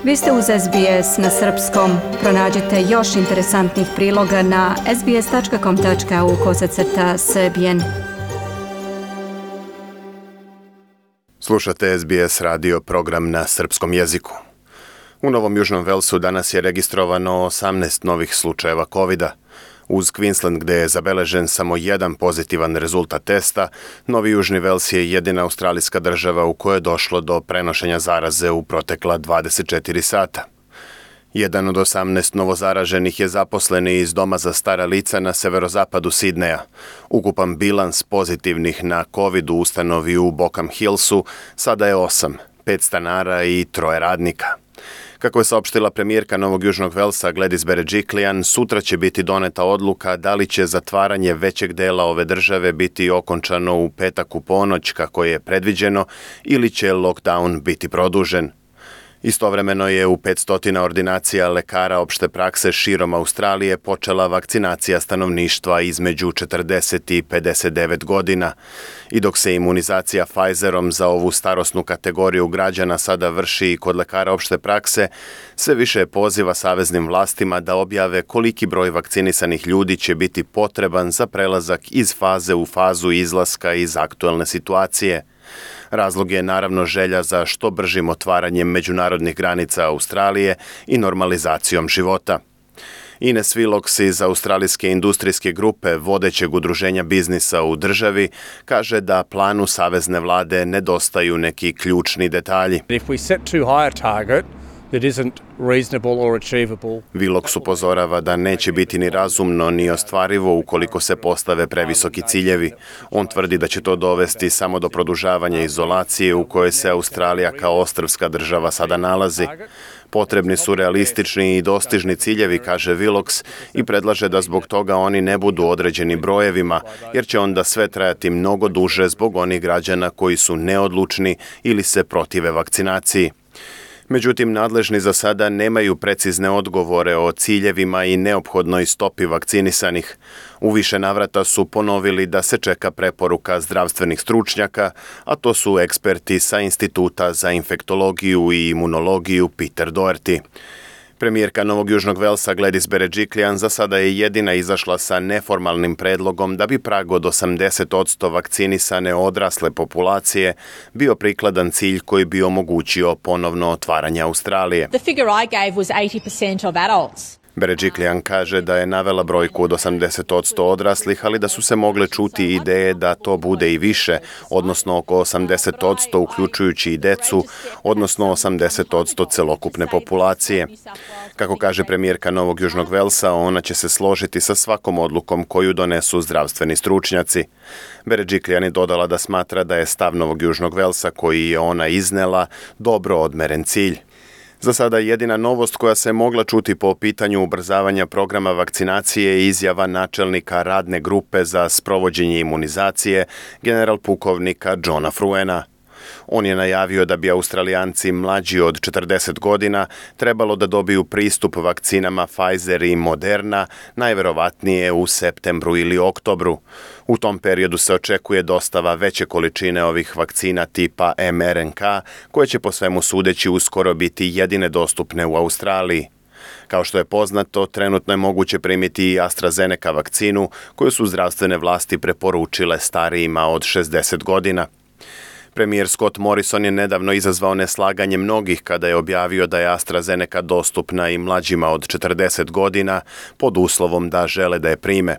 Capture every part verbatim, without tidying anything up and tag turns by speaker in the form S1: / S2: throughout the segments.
S1: Vi ste uz S B S na srpskom. Pronađite još interesantnih priloga na sbs.com.au kosacrta srbijen.
S2: Slušate S B S radio program na srpskom jeziku. U Novom Južnom Velsu danas je registrovano osamnaest novih slučajeva kovida. Uz Queensland, gde je zabeležen samo jedan pozitivan rezultat testa, Novi Južni Vels je jedina australijska država u kojoj je došlo do prenošenja zaraze u protekla dvadeset četiri sata. Jedan od osamnaest novozaraženih je zaposleni iz Doma za stara lica na severozapadu Sidneja. Ukupan bilans pozitivnih na COVID u ustanovi u Bokham Hillsu sada je osam, pet stanara i troje radnika. Kako je saopštila premijerka Novog Južnog Velsa Gladys Berejiklian, sutra će biti doneta odluka da li će zatvaranje većeg dela ove države biti okončano u petak u ponoć kako je predviđeno ili će lockdown biti produžen. Istovremeno je u petsto ordinacija lekara opšte prakse širom Australije počela vakcinacija stanovništva između četrdeset i pedeset devet godina. I dok se imunizacija Pfizerom za ovu starosnu kategoriju građana sada vrši i kod lekara opšte prakse, sve više poziva saveznim vlastima da objave koliki broj vakcinisanih ljudi će biti potreban za prelazak iz faze u fazu izlaska iz aktuelne situacije. Razlog je naravno želja za što bržim otvaranjem međunarodnih granica Australije i normalizacijom života. Ines Willox iz Australijske industrijske grupe vodećeg udruženja biznisa u državi kaže da planu savezne vlade nedostaju neki ključni detalji.
S3: If we set too high a target that isn't reasonable or achievable.
S2: Willox upozorava da neće biti ni razumno ni ostvarivo ukoliko se postave previsoki ciljevi. On tvrdi da će to dovesti samo do produžavanja izolacije u kojoj se Australija kao ostrvska država sada nalazi. Potrebni su realistični i dostižni ciljevi, kaže Willox, i predlaže da zbog toga oni ne budu određeni brojevima, jer će onda sve trajati mnogo duže zbog onih građana koji su neodlučni ili se protive vakcinaciji. Međutim, nadležni za sada nemaju precizne odgovore o ciljevima i neophodnoj stopi vakcinisanih. U više navrata su ponovili da se čeka preporuka zdravstvenih stručnjaka, a to su eksperti sa Instituta za infektologiju i imunologiju Peter Doherty. Premijerka Novog Južnog Velsa Gladys Berejiklian za sada je jedina izašla sa neformalnim predlogom da bi prag od osamdeset posto vakcinisane odrasle populacije bio prikladan cilj koji bi omogućio ponovno otvaranje Australije.
S4: The figure I gave was eighty percent of adults.
S2: Berejiklian kaže da je navela brojku od osamdeset posto odraslih, ali da su se mogle čuti ideje da to bude i više, odnosno oko osamdeset posto uključujući i decu, odnosno osamdeset posto celokupne populacije. Kako kaže premijerka Novog Južnog Velsa, ona će se složiti sa svakom odlukom koju donesu zdravstveni stručnjaci. Berejiklian je dodala da smatra da je stav Novog Južnog Velsa koji je ona iznela dobro odmeren cilj. Za sada jedina novost koja se mogla čuti po pitanju ubrzavanja programa vakcinacije je izjava načelnika radne grupe za sprovođenje imunizacije, general pukovnika Johna Fruena. On je najavio da bi Australijanci mlađi od četrdeset godina trebalo da dobiju pristup vakcinama Pfizer i Moderna, najverovatnije u septembru ili oktobru. U tom periodu se očekuje dostava veće količine ovih vakcina tipa em er en ka, koje će po svemu sudeći uskoro biti jedine dostupne u Australiji. Kao što je poznato, trenutno je moguće primiti i AstraZeneca vakcinu, koju su zdravstvene vlasti preporučile starijima od šezdeset godina. Premijer Scott Morrison je nedavno izazvao neslaganje mnogih kada je objavio da je AstraZeneca dostupna i mlađima od četrdeset godina pod uslovom da žele da je prime.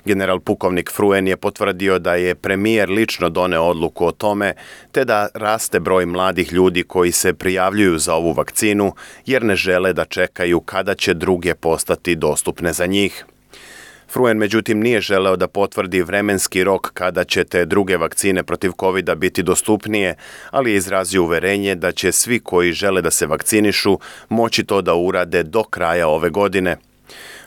S2: General pukovnik Fruen je potvrdio da je premijer lično doneo odluku o tome, te da raste broj mladih ljudi koji se prijavljuju za ovu vakcinu jer ne žele da čekaju kada će druge postati dostupne za njih. Fruen međutim nije želeo da potvrdi vremenski rok kada će te druge vakcine protiv kovida biti dostupnije, ali je izrazio uverenje da će svi koji žele da se vakcinišu moći to da urade do kraja ove godine.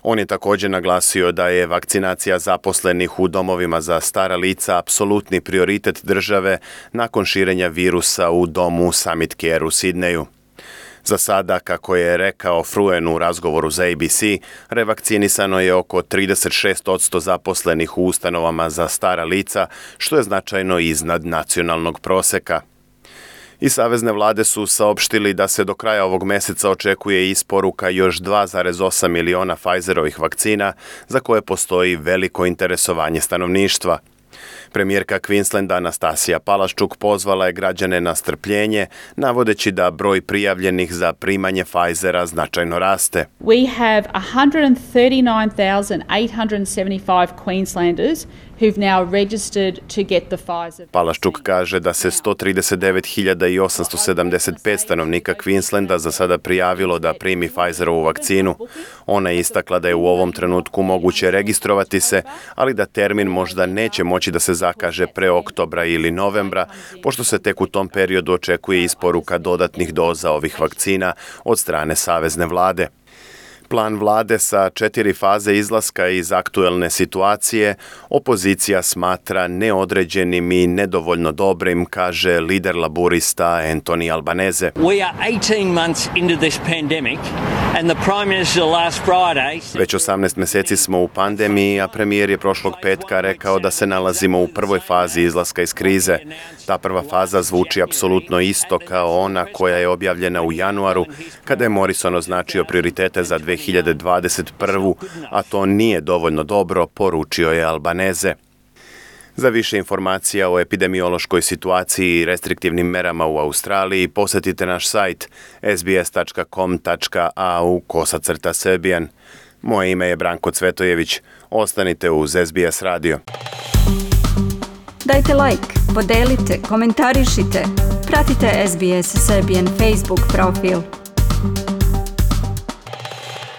S2: On je također naglasio da je vakcinacija zaposlenih u domovima za stara lica apsolutni prioritet države nakon širenja virusa u domu Summit Care u Sidneju. Za sada, kako je rekao Fruen u razgovoru za A B C, revakcinisano je oko trideset šest posto zaposlenih u ustanovama za stara lica, što je značajno iznad nacionalnog proseka. I savezne vlade su saopštili da se do kraja ovog meseca očekuje isporuka još dva zarez osam miliona Pfizerovih vakcina za koje postoji veliko interesovanje stanovništva. Premijerka Queenslanda Anastasija Palaščuk pozvala je građane na strpljenje, navodeći da broj prijavljenih za primanje Pfizera značajno raste.
S5: We have one hundred thirty-nine thousand eight hundred seventy-five Queenslanders who've now registered to get the Pfizer.
S2: Palaščuk kaže da se sto trideset devet hiljada osamsto sedamdeset pet stanovnika Queenslanda za sada prijavilo da primi Pfizerovu vakcinu. Ona je istakla da je u ovom trenutku moguće registrovati se, ali da termin možda neće moći da se zakaže pre oktobra ili novembra, pošto se tek u tom periodu očekuje isporuka dodatnih doza ovih vakcina od strane savezne vlade. Plan vlade sa četiri faze izlaska iz aktuelne situacije opozicija smatra neodređenim i nedovoljno dobrim, kaže lider laburista Anthony Albanese.
S6: We are eighteen months into this pandemic and the Prime Minister last Friday...
S2: Već osamnaest meseci smo u pandemiji, a premijer je prošlog petka rekao da se nalazimo u prvoj fazi izlaska iz krize. Ta prva faza zvuči apsolutno isto kao ona koja je objavljena u januaru, kada je Morrison označio prioritete za dve hiljade dvadeset prvu, a to nije dovoljno dobro, poručio je Albanese. Za više informacija o epidemiološkoj situaciji i restriktivnim merama u Australiji posjetite naš sajt s b s tačka com tačka a u kosacrta Serbian. Moje ime je Branko Cvetojević. Ostanite uz S B S radio.
S1: Dajte like, podelite, komentarišite. Pratite S B S Serbian Facebook profil.